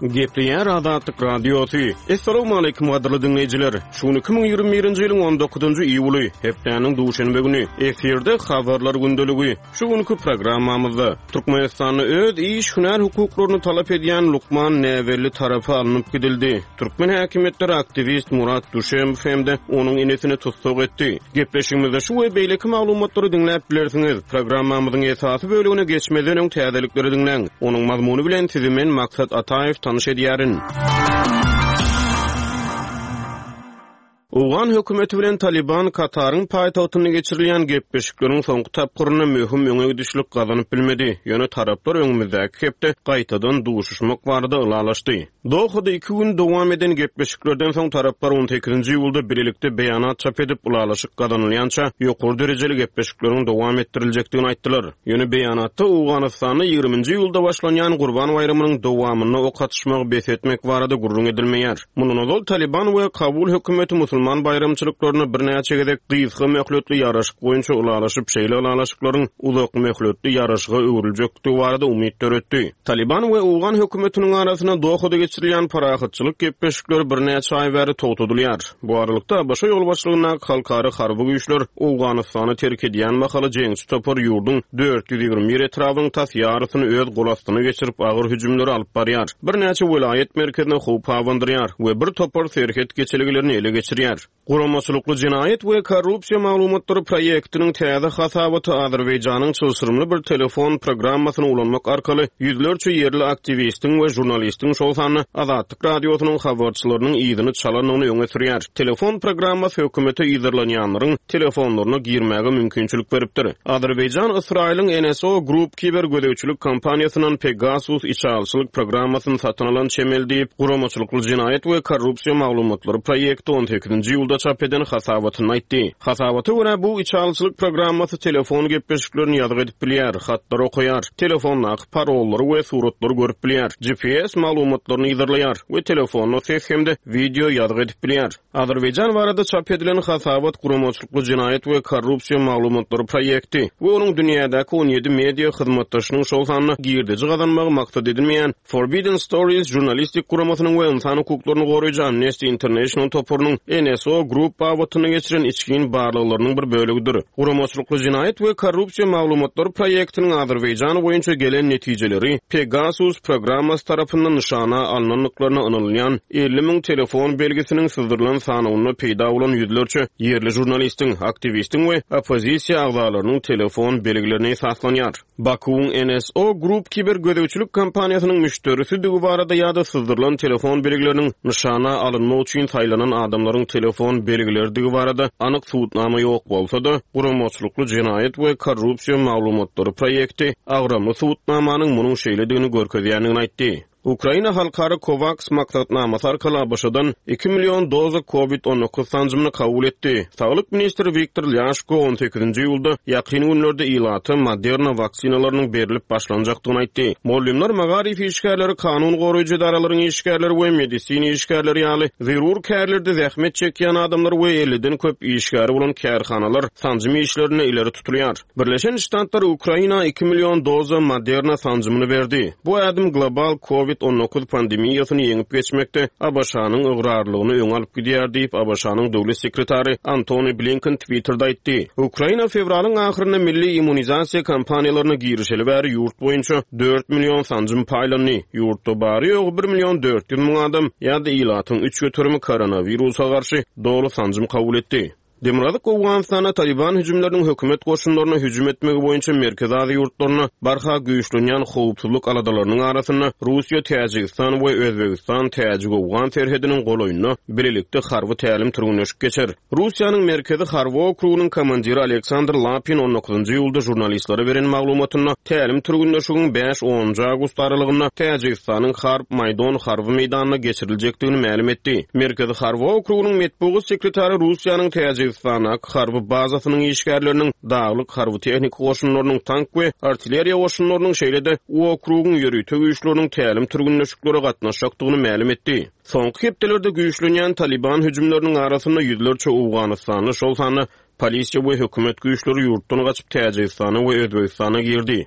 Gepleýär Azatlyk Radiosy. Essalawmaleýkim gadyrly diňleýjiler! Şu gün 2021-nji ýylyň on dokuzynjy iýuly, hepdäniň duşenbe güni. Efirde Habarlar gündeligi. Şu günki programmamyzda, Türkmenistanda öz iş, hünär hukuklaryny talap edýän lukman näbelli tarapa alnyp gidildi. Türkmen häkimiýetleri aktiwist Murat Duşemow hem-de onuň inisini tussag etdi. Gepleşigimizde şu we beýleki maglumatlary diňläp bilersiňiz. Programmamyzyň esasy bölegine geçmezden öň täzelikleri diňläň. Onuň mazmuny bilen sizi men Maksat Ataýew tanyş edýärin. Owgan hökümeti bilen Talyban Kataryň paýtagtynda geçirilýän gepleşikleriň soňky tapgyrynda möhüm öňe gidişlik gazanyp bilmedi, ýöne taraplar öňümizdäki hepde gaýtadan duşuşmak barada ylalaşdy. Dohada iki gün dowam eden gepleşiklerden soň taraplar on sekizinji iýulda bilelikde beýanat çap edip, ylalaşyk gazanylýança ýokary derejeli gepleşikleriň dowam etdiriljekdigini aýtdylar. Ýöne beýanatda Owganystanda ýigriminji iýulda başlanýan Gurban baýramynyň dowamynda ok atyşmagy bes etmek barada gürrüň edilmeýär. Mundan ozal Talyban we Kabul hökümeti musulman baýramçylyklarynda birnäçe gezek gysga möhletli ýaraşyk boýunça ylalaşyp, şeýle ylalaşyklaryň uzak möhletli ýaraşyga öwrüljekdigi barada umyt döretdi. Talyban we owgan hökümetiniň arasynda Dohada geçirilýän parahatçylyk gepleşikleri birnäçe aý bäri togtadylýar. Bu aralykda, ABŞ ýolbaşçylygyndaky halkara harby güýçler Owganystany terk edýän mahaly jeňçi topar ýurduň 421 etrabynyň tas ýarysyny öz gol astyna geçirip, agyr hüjümleri alyp barýar, birnäçe welaýat merkezine howp abandyrýar we bir topar serhet geçelgelerini ele geçirýär. Guramaçylykly jenaýat we korrupsiýa maglumatlary proýektiniň täze hasabaty Azerbaýjanyň çylşyrymly bir telefon programmasyny ulanmak arkaly ýüzlerçe ýerli aktiwistiň we žurnalistiň, şol sanda Azatlyk Radiosynyň habarçylarynyň yzyny çalandygyny öňe sürýär. Telefon programmasy hökümete yzarlanýanlaryň telefonlaryna girmäge mümkinçilik beripdir. Azerbaýjan Ysraýylyň NSO Group kiber gözegçilik kompaniýasyndan Pegasus içalyçylyk programmasyny satyn alan çemeli diýip, Guramaçylykly jenaýat we korrupsiýa maglumatlary proýekti on sekizinji iýulda çap eden hasabatynda aýtdy. Hasabata görä, bu içalyçylyk programmasy telefon gepleşiklerini ýazgy edip bilýär, hatlary okaýar, telefondaky parollary we suratlary görüp bilýär, GPS maglumatlaryny yzarlaýar we telefonda ses hem-de wideo ýazgy edip bilýär. Azerbaýjan barada çap edilen hasabat Guramaçylykly jenaýat we korrupsiýa maglumatlary proýekti we onuň dünýädäki 17 media hyzmatdaşynyň, şol sanda girdeji gazanmagy maksat edinmeýän Forbidden Stories žurnalistik guramasynyň we ynsan hukuklaryny goraýjy Amnesty International toparynyň NSO Group babatynda geçiren içgin barlaglarynyň bir bölegidir. Guramaçylykly jenaýat we korrupsiýa maglumatlary proýektiniň Azerbaýjan boýunça gelen netijeleri Pegasus programmasy tarapyndan nyşana alnandyklaryna ynanylýan 50 müň telefon belgisiniň syzdyrylan sanawynda peýda bolan ýüzlerçe ýerli žurnalistiň, aktiwistiň we oppozisiýa agzalarynyň telefon belgilerine esaslanýar. Bakuwyň NSO Group kiber gözegçilik kompaniýasynyň müşderisidigi barada ýa-da syzdyrylan telefon belgileriniň nyşana alynmak üçin saýlanan adamlaryň telefon belgileridigi barada anyk subutnama ýok bolsa-da, Guramaçylykly jenaýat we korrupsiýa maglumatlary proýekti agramly subutnamanyň munuň şeýledigini görkezýändigini aýtdy. Ukraina halkara COVAX maksatnamasy arkaly ABŞ-dan iki million doza Covid 19 sanjymyny kabul etdi. Saglyk ministri Wiktor Lýaşko on sekizinji iýulda ýakyn günlerde ilata Moderna waksinalarynyň berlip başlanjakdygyny aýtdy. Mugallymlar, magaryf işgärleri, kanun goraýjy edaralaryň işgärleri we medisina işgärleri ýaly zerur kärlerde zähmet çekýän adamlar we elliden köp işgäri bolan kärhanalar sanjym işlerinde ileri tutulýar. Birleşen Ştatlar Ukraina iki million doza Moderna sanjymyny berdi. Bu ädim global Covid 19 pandemiýasyny ýeňip geçmekde ABŞ-nyň ygrarlylygyny öňe alyp gidýär diýip, ABŞ-nyň döwlet sekretary Antony Blinken Twitterde aýtdy. Ukraina fewralyň ahyrynda milli immunizasiýa kampaniýalaryna girişeli bäri ýurt boýunça dört million sanjym paýlandy. Ýurtda bary-ýogy bir million 400 müň adam ýa-da ilatyň üç göterimi koronawirusa garşy doly sanjym kabul etdi. Demirgazyk Owganystanda Talyban hüjümleriniň hökümet goşunlaryna hüjüm etmegi boýunça Merkezi Aziýa ýurtlarynda barha güýçlenýän howpsuzlyk aladalarynyň arasynda Russiýa, Täjigistan we Özbegistan täjik-owgan serhediniň golaýynda bilelikde harby tälim-türgenleşik geçer. Russiýanyň Merkezi harby okrugynyň komandiri Aleksandr Lapin on dokuzynjy iýulda žurnalistlere beren maglumatynda tälim-türgenleşigiň bäş-onunjy awgust aralygynda Täjigistanyň Harb Maýdon harby meýdanynda geçiriljekdigini mälim etdi. Merkezi harby okrugynyň metbugat sekretary Russiýanyň Täjigistandaky harby bazasynyň işgärleriniň, daglyk harby-tehniki goşunlarynyň, tank we artilleriýa goşunlarynyň, şeýle-de okrugyň ýörite güýçleriniň tälim-türgenleşiklere gatnaşjakdygyny mälim etdi. Soňky hepdelerde güýçlenýän Talyban hüjümleriniň arasynda ýüzlerçe owganystanly, şol sanda polisiýa we hökümet güýçleri ýurtdan gaçyp Täjigistana we Özbegistana girdi.